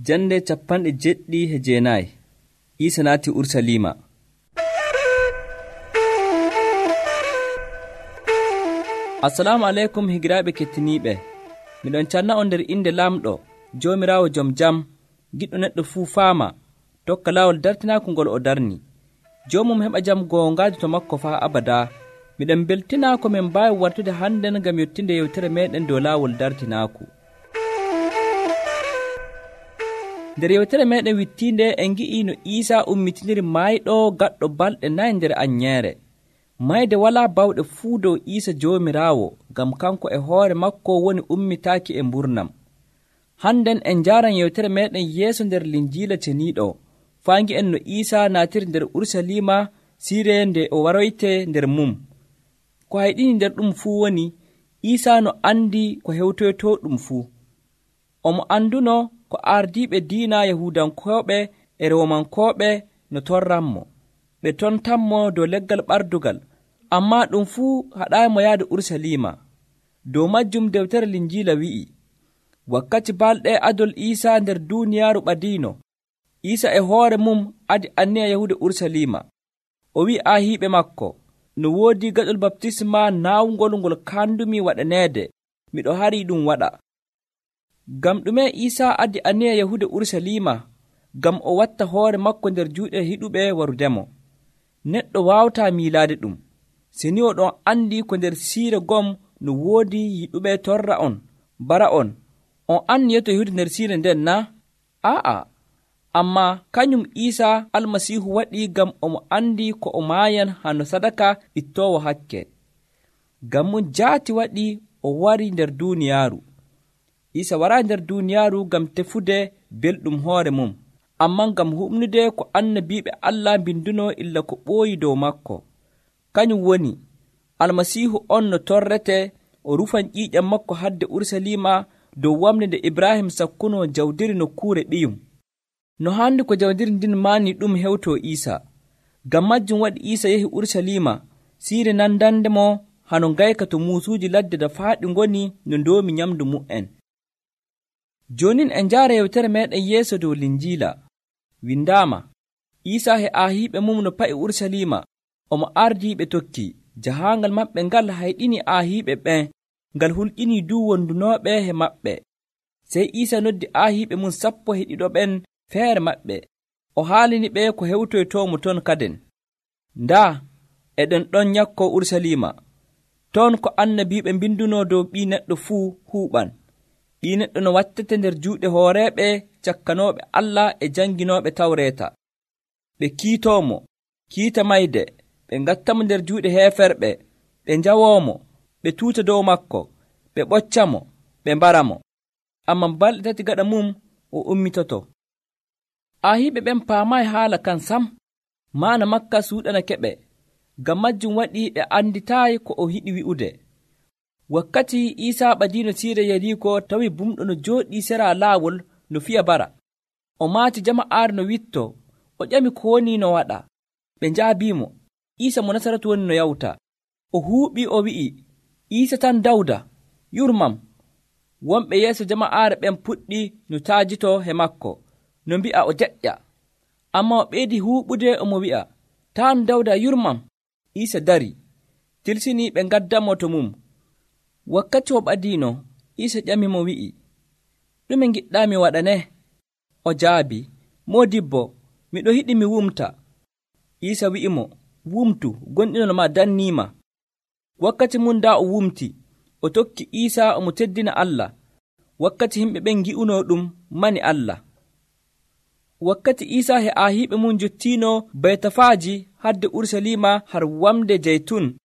Jande 79 Iisa naati Ursaliima. Assalamu aleykum higiraaɓe kettiniiɓe. Miɗon canna on nder inde Laamɗo, Joomiraawo jom jam, giɗɗo neɗɗo fuu faama, tokka laawol dartinaaku ngol o darni. Joomum heɓa jam goongaaju to makko faa abadaa. Miɗen beltinaa ko min mbaawi wartude hannden ngam yottinde yewtere meeɗen dow laawol dartinaaku. nder yewtere meeɗen wittiinde en ngi'i no Iisaa ummitindiri maayɗo gaɗɗo balɗe 4 nder anyeere. Mayde walaa bawɗe fuu dow Iisa Joomiraawo, ngam kanko e hoore makko woni ummitaaki e mburnam. Hannden en njaaran yewtere meeɗen yeeso nder Linjiila ceniiɗo, faa ngi'en no Iisaa naatiri nder Ursaliima siire nde o waroytee nder mum. Ko hayɗini nder ɗum fuu woni, Iisaa no andi ko hewtoytoo ɗum fuu. Omo anduno ko ardiiɓe diina Yahuudankooɓe e Roomankooɓe no torranmo. Ɓe tontanmo dow leggal ɓardugal, ammaa ɗum fuu haɗaaymo yahde Ursaliima. Dow majjum dewtere Linjiila wi'i, wakkati balɗe adol Iisaa nder duuniyaaru ɓadiino, Iisa e hoore mum adi anniya yahude Ursaliima. O wi'i aahiiɓe makko, no woodi gaɗol baptisma naawngol ngol kandumi waɗaneede, miɗo harii ɗum waɗa. Ngam ɗume Iisaa addi anniya yahude Ursaliima? Ngam o watta hoore makko nder juuɗe hiɗuɓe warudemo. Neɗɗo waawataa miilaade ɗum, seni o ɗon andi ko nder siire gom no woodi yiɗuɓe torra on, bara on anniyoto yahude nder siire nden na? Aa'a, ammaa kañum Iisaa Almasiihu waɗi ngam omo andi ko o maayan hano sadaka ittoowo hakke. Ngam mum jaati waɗi o wari nder duuniyaaru. Iisa waraa nder duuniyaaru ngam tefude belɗum hoore mum, ammaa ngam huɓnude ko annabiiɓe Allah mbinduno illa ko ɓooyi dow makko. Kañum woni, Almasiihu on no torrete o rufan ƴiiƴam makko hadde Ursaliima dow wamde nde Ibrahim sakkuno jawdiri nokkuure ɓiyum. No haandi ko jawdiri ndin maani ɗum hewtoo Iisa. Ngam majjum waɗi Iisa yehi Ursaliima, siire nandandemo hano ngayka to muusuuji ladde dafaaɗi ngoni no ndoomi nyamdu mu'en. Joonin en njaara yewtere meeɗen yeeso dow Linjiila. Windaama, Iisaa he aahiiɓe mum no pa'i Ursaliima, omo ardii ɓe tokki. Jahaangal maɓɓe ngal hayɗini aahiiɓe ɓen, ngal hulƴinii duu wondunooɓe he maɓɓe. Sey Iisa noddi aahiiɓe mum 12 ɓen feere maɓɓe, o haalini ɓe ko hewtoytoomo ton kaden. Ndaa, eɗen ɗon nyakkoo Ursaliima, ton ko annabiiɓe mbindunoo dow Ɓii Neɗɗo fuu huuɓan. Ɓii Neɗɗo no wattete nder juuɗe hooreeɓe cakkanooɓe Allah e janginooɓe Tawreeta. Ɓe kiitoomo, kiita mayde, ɓe ngattamo nder juuɗe heeferɓe, ɓe njawoomo, ɓe tuuta dow makko, ɓe ɓoccamo, ɓe mbaramo. Ammaa balɗe 3 gaɗa mum o ummitoto. Aahiiɓe ɓen paamaayi haala kan sam, maana makka suuɗanakeɓe. Ngam majjum waɗi ɓe anditaayi ko o hiɗi wi'ude. Wakkati Iisaa ɓadiino siire Yariiko tawi bumɗo no jooɗii sera laawol no fiya bara. O maati jama'aare no witto, o ƴami ko woni no waɗa. Ɓe njaabiimo, Iisa mo Nasaratu woni no yawta. O huuɓii o wi'i, Iisa tan Dawda, yurmam. Wonɓe yeeso jama'aare ɓen puɗɗi no taajito he makko, no mbi'a o deƴƴa. Ammaa o ɓeydi huuɓude omo wi'a, taan Dawda yurmam. Iisa dari, tilsinii ɓe ngaddamo to mum. Wakkati o ɓadiino, Iisa ƴamimo wi'i, ɗume ngiɗɗaa mi waɗane? O jaabi, Moodibbo, miɗo yiɗi mi wumta. Iisa wi'imo, wumtu, gonɗinol ma danniima. Wakkati mum daa o wumti, o tokki Iisa omo teddina Allah. Wakkati yimɓe ɓen ngi'unoo ɗum mani Allah. Wakkati Iisa he aahiiɓe mum jottiino Baytafaaji hadde Ursaliima har wamde Jeytun,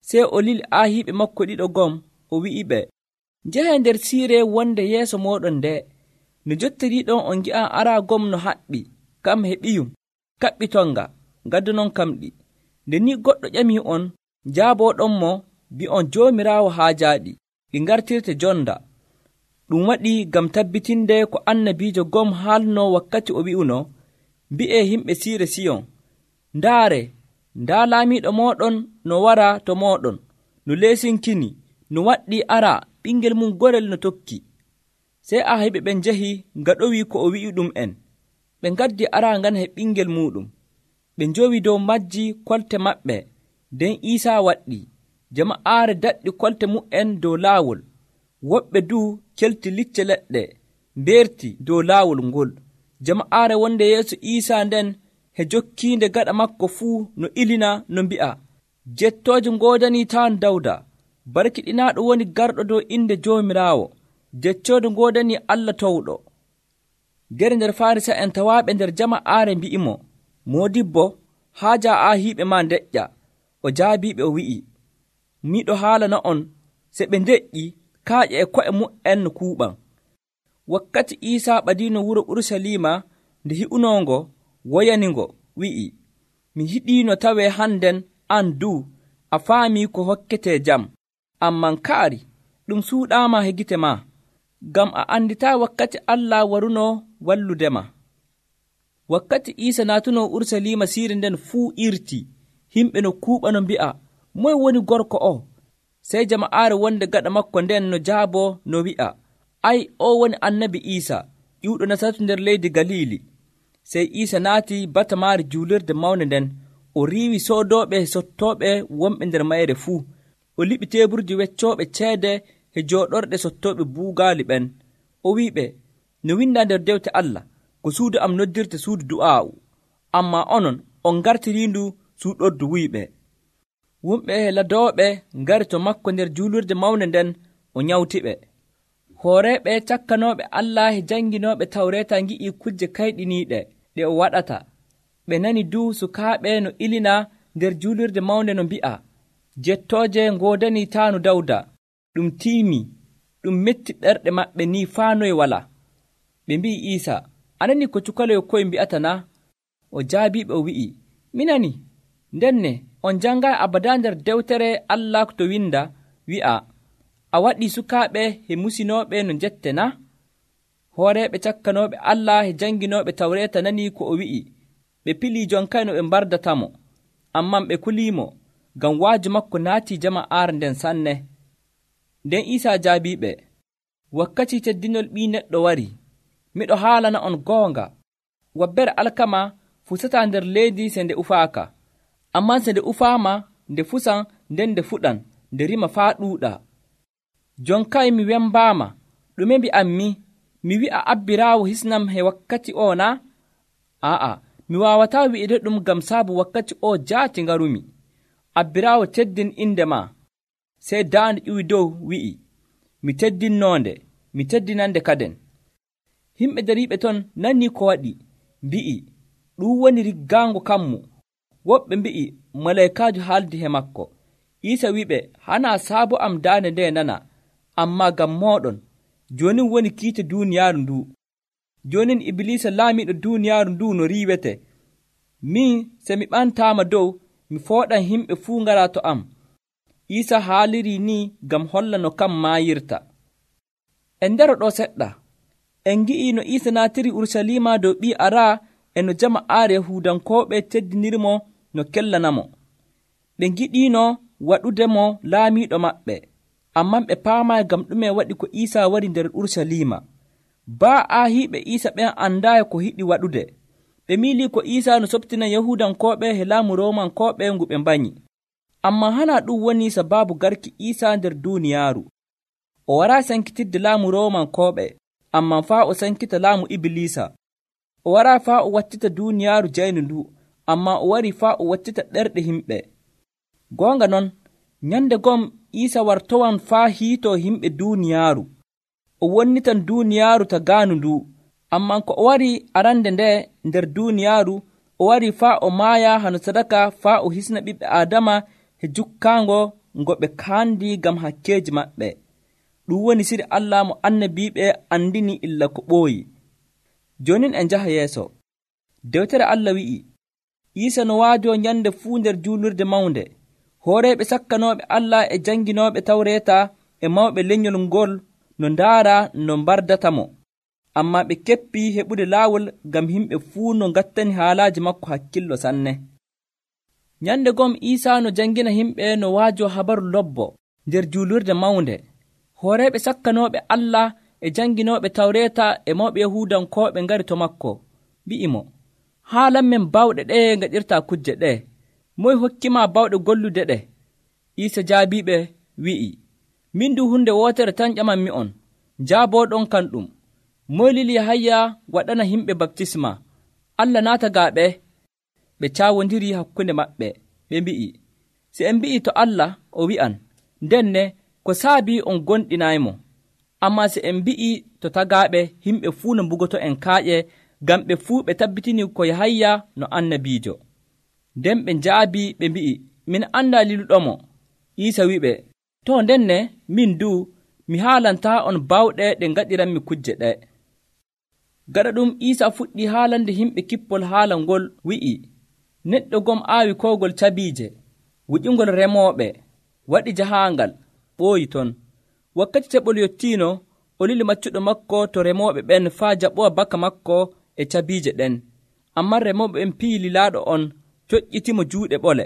sey o lili aahiiɓe makko 2 gom, o wi'iɓe, njehen nder siire wonde yeeso mooɗon nde. No jottiriiɗon on ngi'an araa gom no haɓɓi, kam he ɓiyum, kaɓɓitonga, ngaddunon kamɗi. Nde ni goɗɗo ƴamii on, njaabooɗonmo, bi'on Joomiraawo haajaaɗi, ɗi ngartirte jonda. Ɗum waɗi ngam tabbitinde ko annabiijo gom haalnoo wakkati o wi'uno, mbi'ee yimɓe siire Siyon, ndaare, ndaa laamiiɗo mooɗon no wara to mooɗon, no leesinkini, no waɗɗi ara ɓingel mum gorel no tokki. Sey Ahiɓe ɓen njahi ngaɗowi ko o wi'i ɗum en. Ɓe ngaddi arangan he ɓingel muɗum. Ɓe njowi dow majji kolte maɓɓe. Nden Iisaa waɗɗi. Jama'aare daɗɗi kolte mu'en dow laawol. Woɓɓe duu kelti licce leɗɗe mbeerti dow laawol ngol. Jama'aare wonde yeeso Iisaa nden he jokkiinde gaɗa makko fuu no ilina no mbi'a, jettooje ngoodanii taan Dawda, barkiɗinaaɗo woni garɗo dow inde Joomiraawo, jeccoode ngoodanii Allah towɗo. Gere nder Farisa'en tawaaɓe nder jama'aare mbi'imo, Moodibbo, haaja Ahiiɓe maa ndeƴƴa. O jaabiiɓe o wi'i, miɗo haalana on, se ɓe ndeƴƴi kaaƴe e ko'e mu'en no kuuɓan. Wakkati Iisaa ɓadiino wuro Urusalima nde hi'unongo, woyaningo, wi'i, mi hiɗiino tawee hannden an duu a faamii ko hokketee jam, amman kaari ɗum suuɗaama he gite maa, ngam a anditaa wakkati Allah warunoo walludema. Wakkati Iisa naatunoo Urusalima siire nden fuu irtii, himɓe no kuuɓa no mbi'a, moye woni gorko o? Sey jama'aare wonde gaɗa makko nden no jaaboo no wi'a, ay, o woni annabi Iisa, ƴiwɗo Nasaratu nder leydi Galiili. Sey Iisa naati batamaari juulirde mawnde nden, o riiwi soodooɓe e sottooɓe wonɓe nder mayre fuu. O liɓi teeburji weccooɓe ceede e jooɗorɗe sottooɓe buugaali ɓen. O wi'iɓe, no windaa nder dewte Allah, ko suudu am noddirte suudu du'aa'u, ammaa onon on ngartiriindu suuɗordu wuyɓe. Wumɓe e ladooɓe ngari to makko nder juulirde mawnde nden, o nyawtiɓe. Hooreeɓe cakkanooɓe Allah e jannginooɓe Tawreeta ngi'ii kujje kayɗiniiɗe ɗe o waɗata. Ɓe nani duu sukaaɓe no ilina nder juulirde mawnde no mbi'a, jettooje ngoodanii taanu Dawda, ɗum tiimii, ɗum metti ɓerɗe maɓɓe ni faa noye walaa. Ɓe mbi'i Iisa, anani ko cukaloyo koye mbi'ata na? O jaabiiɓe o wi'i, mi nani. Ndenne on janngaa abadaa nder dewtere Allah to winda wi'a, a waɗii sukaaɓe he musinooɓe no njette na? Hooreeɓe cakkanooɓe Allah e jannginooɓe Tawreeta nanii ko o wi'i. Ɓe pilii jonkay no ɓe mbardatamo, amman ɓe kuliimo, ngam waaju makko naatii jama'aare nden sanne. Nden Iisaa jaabiiɓe, wakkati teddinol Ɓii Neɗɗo warii. Miɗo haalana on goonga, wabbere alkama fusataa nder leydi se nde ufaaka. Ammaa se nde ufaama, nde fusan nden nde fuɗan, nde rima faa ɗuuɗa. Jonkay mi wembaama, ɗume mbi'ammi? Mi wi'a abbiraawo hisnam he wakkati o na? Aa, mi waawataa wi'ide ɗum ngam saabu wakkati o jaati ngarumi. Abbiraawo teddin inde maa. Sey daande ƴiwi dow wi'i, mi teddinnoonde, mi teddinande kaden. Himɓe dariiɓe ton nanii ko waɗi, mbi'i, ɗum woni riggaango kammu. Woɓɓe mbi'i, malaykaajo haaldi he makko. Iisa wi'iɓe, hanaa saabu am daande nde nana, ammaa ngam mooɗon, joonin woni kiite duuniyaaru nduu. Joonin Ibliisa laamiiɗo duuniyaaru nduu no riiwete. Min, se mi ɓantaama dow, mi fooɗan himɓe fuu ngaraa to am. Iisa haalirii ni ngam holla no kam maayirta. En ndero ɗo seɗɗa. En ngi'ii no Iisa naatiri Urusalima dow ɓii araa e no jama'aare Yahuudankooɓe teddinirmo no kellanamo. Ɓe ngiɗiino waɗudemo laamiiɗo maɓɓe, amman ɓe paamaayi ngam ɗume waɗi ko Iisa wari nder Urusalima. Baa Aahiiɓe Iisa ɓen andaayi ko hiɗi waɗude. Ɓe miilii ko Iisa no soɓtina Yahuudankooɓe he laamu Roomankooɓe ngu ɓe mbanyi. Ammaa hanaa ɗum woni sabaabu garki Iisa nder duuniyaaru. O waraa sankitidde laamu Roomankooɓe, ammaa faa o sankita laamu Ibliisa. O waraa faa o wattita duuniyaaru jaynu ndu, ammaa o warii faa o wattita ɗerɗe himɓe. Goonga non, nyande gom Iisa wartowan faa hiitoo himɓe duuniyaaru. O wonnitan duuniyaaru tagaanu ndu, ammaa ko o warii arande nde nder duuniyaaru, o warii faa o maaya hano sadaka faa o hisna ɓiɓɓe Aadama he jukkaango ngo ɓe kaandi ngam hakkeeji maɓɓe. Ɗum woni siri Allah mo annabiiɓe andini illa ko ɓooyi. Joonin en njaha yeeso. Dewtere Allah wi'i, Iisa no waajoo nyande fuu nder juulirde mawnde. Hooreeɓe sakkanooɓe Allah e jannginooɓe Tawreeta e mawɓe lenyol ngol no ndaara no mbardatamo. Ammaa ɓe keppii heɓude laawol ngam himɓe fuu no ngattani haalaaji makko hakkillo sanne. Nyande gom Iisa no janngina himɓe no waajoo habaru lobbo nder juulirde mawnde. Hooreeɓe sakkanooɓe Allah e janginooɓe tawreeta e mawɓe yahudankooɓe ngari to makko, mbi'imo, haalan men bawɗe ɗe ngaɗirtaa kujje ɗe. Moy hokkima bawɗe gollude ɗe? Iisa jaabiɓe wi'i, min du hunde wootere tan ƴamanmi'on, njaaboɗon kan ɗum. Moy lili Yahaya waɗana himɓe baptisma? Allah naata gaaɓe? Ɓe caawondiri hakkunde maɓɓe, ɓe mbi'i, si en mbi'i to Allah, o wi'an, ndenne ko saabi on gonɗinaymo. Ammaa si en mbi'i to tagaaɓe, himɓe fuu no mbugoto en kaaƴe, ngam ɓe fuu ɓe tabbitini ko Yahaya no annabiijo. Nden ɓe njaabi ɓe mbi'i, min anndaa liluɗomo. Iisa wi'uɓe, to ndenne min du mi haalantaa on bawɗe ɗe ngaɗiranmi kujje ɗe. Gaɗa ɗum Iisa fuɗɗi haalande himɓe kippol haala ngol, wi'i, neɗɗo gom aawi koogol cabiije, wuƴingol remooɓe, waɗi jahaangal, ɓooyi ton. Wakkati teɓol yottiino, o lili maccuɗo makko to remooɓe ɓen faa jaɓowa baka makko e cabiije ɗen. Ammaa remooɓe ɓen piyi lilaaɗo on, coƴƴitimo juuɗe ɓole.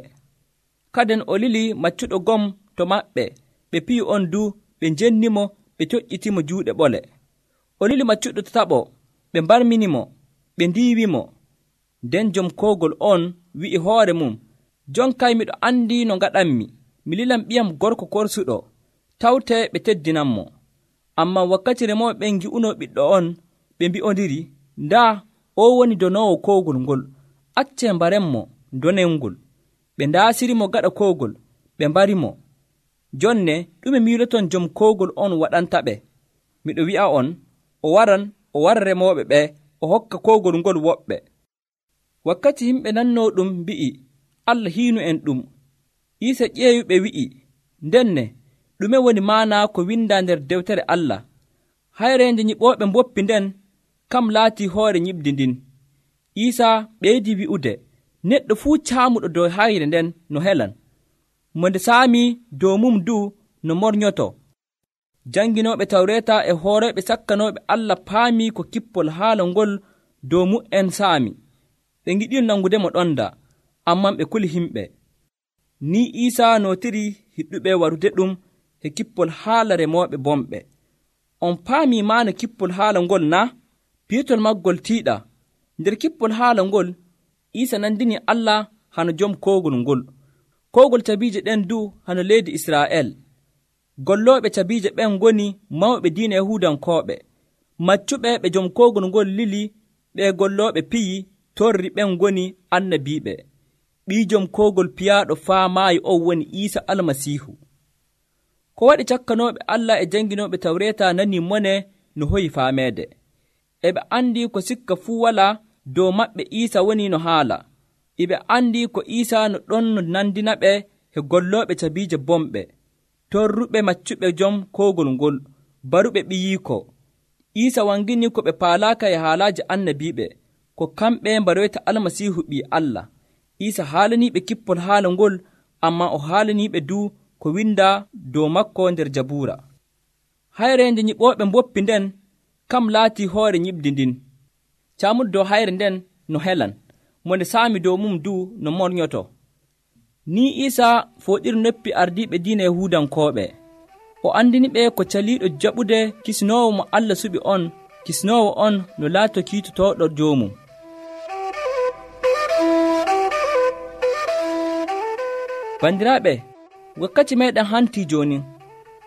Kaden o lili maccuɗo gom to maɓɓe, ɓe piyi on du, ɓe njennimo, ɓe coƴƴitimo juuɗe ɓole. O lili maccuɗo to taɓo, ɓe mbarminimo, ɓe ndiiwimo. Nden jom koogol on wi'i hoore mum, jonkay miɗo anndi no ngaɗanmi, mi lilan ɓiyam gorko korsuɗo, tawtee ɓe teddinanmo. Ammaa wakkati remooɓe ɓen ngi'uno ɓiɗɗo on, ɓe mbi'ondiri, ndaa o woni donoowo koogol ngol, accee mbarenmo donelngol. Ɓe ndaasirimo gaɗa koogol, ɓe mbarimo. Jonne ɗume miiloton jom koogol on waɗantaɓe? Miɗo wi'a on, o wara remooɓe ɓe, o hokka koogol ngol woɓɓe. Wakkati yimɓe nannoo ɗum mbi'i, Allah hiinu en ɗum. Iisa ƴeewiɓe wi'i, ndenne ɗume woni maana ko windaa nder dewtere Allah? Hayreende nyiɓooɓe mboppi nden, kam laatii hoore nyiɓdi ndin. Iisa ɓeydi wi'ude, neɗɗo fuu caamuɗo dow hayre nden no helan, mo nde saami dow mum du no mornyoto. Janginooɓe tawreeta e hooreeɓe sakkanooɓe Allah paamii ko kippol haala ngol dow mu'en saami. Ɓe ngiɗino nangudemo ɗonda, ammaa ɓe kuli himɓe. Ni Iisa nootiri hiɗɗuɓe warude ɗum e kippol haala remooɓe bomɓe. On paamii maana kippol haala ngol na? Piitol maggol tiiɗa. Nder kippol haala ngol, Iisa nandini Allah hano jom koogol ngol. Koogol cabiije ɗen du hano leydi Israa'el. Gollooɓe cabiije ɓen ngoni mawɓe diina Yahuudankooɓe. Maccuɓe ɓe jom koogol ngol lili, ɓe gollooɓe piyi, torri ɓen ngoni annabiiɓe. Ɓii jom koogol piyaaɗo faa maayi on woni Iisa Almasiihu. Ko waɗi cakkanooɓe Allah e janginooɓe tawreeta nanii mone no hoyi faameede. E ɓe anndi ko sikka fuu walaa dow maɓɓe Iisa woni no haala. E ɓe anndi ko Iisa no ɗon no nandinaɓe e gollooɓe cabiije bomɓe, torruɓe maccuɓe jom koogol ngol, baruɓe ɓiyiiko. Iisa wangini ko ɓe paalaaka e haalaaji annabiiɓe, ko kamɓe mbaroyta Almasiihu ɓii Allah. Iisa haalaniiɓe kippol haala ngol, ammaa o haalaniiɓe du ko windaa dow makko nder Jabuura. Hayreende nyiɓooɓe mboppi nden, kam laatii hoore nyiɓdi ndin. Caamuɗo dow hayre nden no helan, mo nde saami dow mum du no mornyoto. Ni Iisa fooɗiri noppi ardiiɓe diina Yahuudankooɓe. O andiniɓe ko caliiɗo jaɓude kisnoowo mo Allah suɓi on, kisnoowo on no laato kiitotooɗo joomum. Bandiraaɓe, wakkati meeɗen hantii jooni.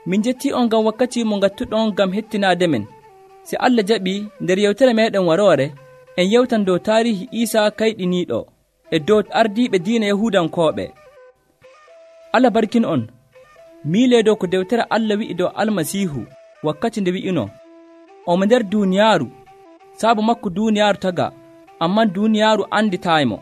Min jettii on ngam wakkati mo ngattuɗon ngam hettinaade men. Si Allah jaɓi, nder yewtere meeɗen waroore, en yewtan dow taarihi Iisa kayɗiniiɗo e dow ardiiɓe diina Yahuudankooɓe. Allah barkin on. Miilee dow ko dewtere Allah wi'i dow Almasiihu wakkati nde wi'ino, omo nder duuniyaaru, saabu makko duuniyaaru taga, ammaa duuniyaaru anditaaymo.